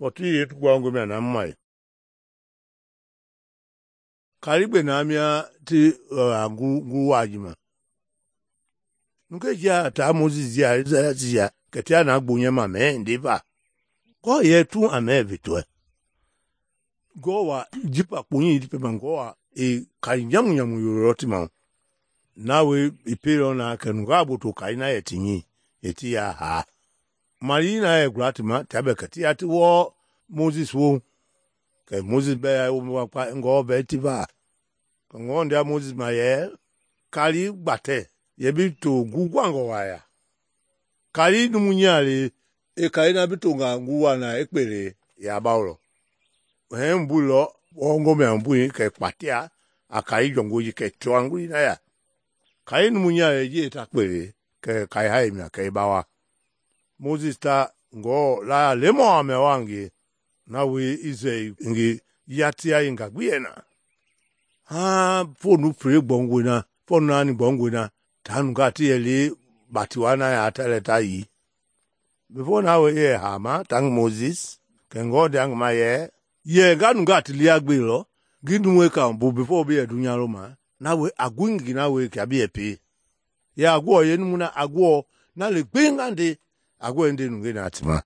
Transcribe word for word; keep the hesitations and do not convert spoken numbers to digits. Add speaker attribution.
Speaker 1: Pɔti ye tu gwa ngomia na mai. Karigbe na mia ti ngu ngu wajima. Nuke ja ta Moses ya ya ketia na gbonye ma me ndiva. Ko ye tu ame vitwe. Go wa jipa kunyi dipe mangoa e kanyamu nyamu yoroti ma. Nawe ipero na kenuga buto kaina yetinyi eti ya ha. Marina e gratima tabe ketia ti wo Moses wo. Ke Moses be ya wo pa ngo be tiva. Ngo ndia Moses ma ye kali gbate ye bi to gugwango waya. Kali numunyale e kaina bitonga nguwa na ekpere ya baulo. He mbulo ongo me mbui ke kwatia akai jongoji ke twanguli na ya. Kai numunyale je ta kpere ke kai hai na ke bawa. Moses ta ngo la lemo ame wangi na we ize ngi yatia inga gwiena. Ha fonu pre bongo na fonu nani bongo na tanu gati eli batiwana ya tele tai. Before na we ye hama tang Moses ke ngo dang ma ye ye ganu gati liagbe lo gindu we ka bu before be dunya roma na we agwingi na we ka bi epe ya agwo ye numuna agwo na le gbengande agwo ende nunge na atima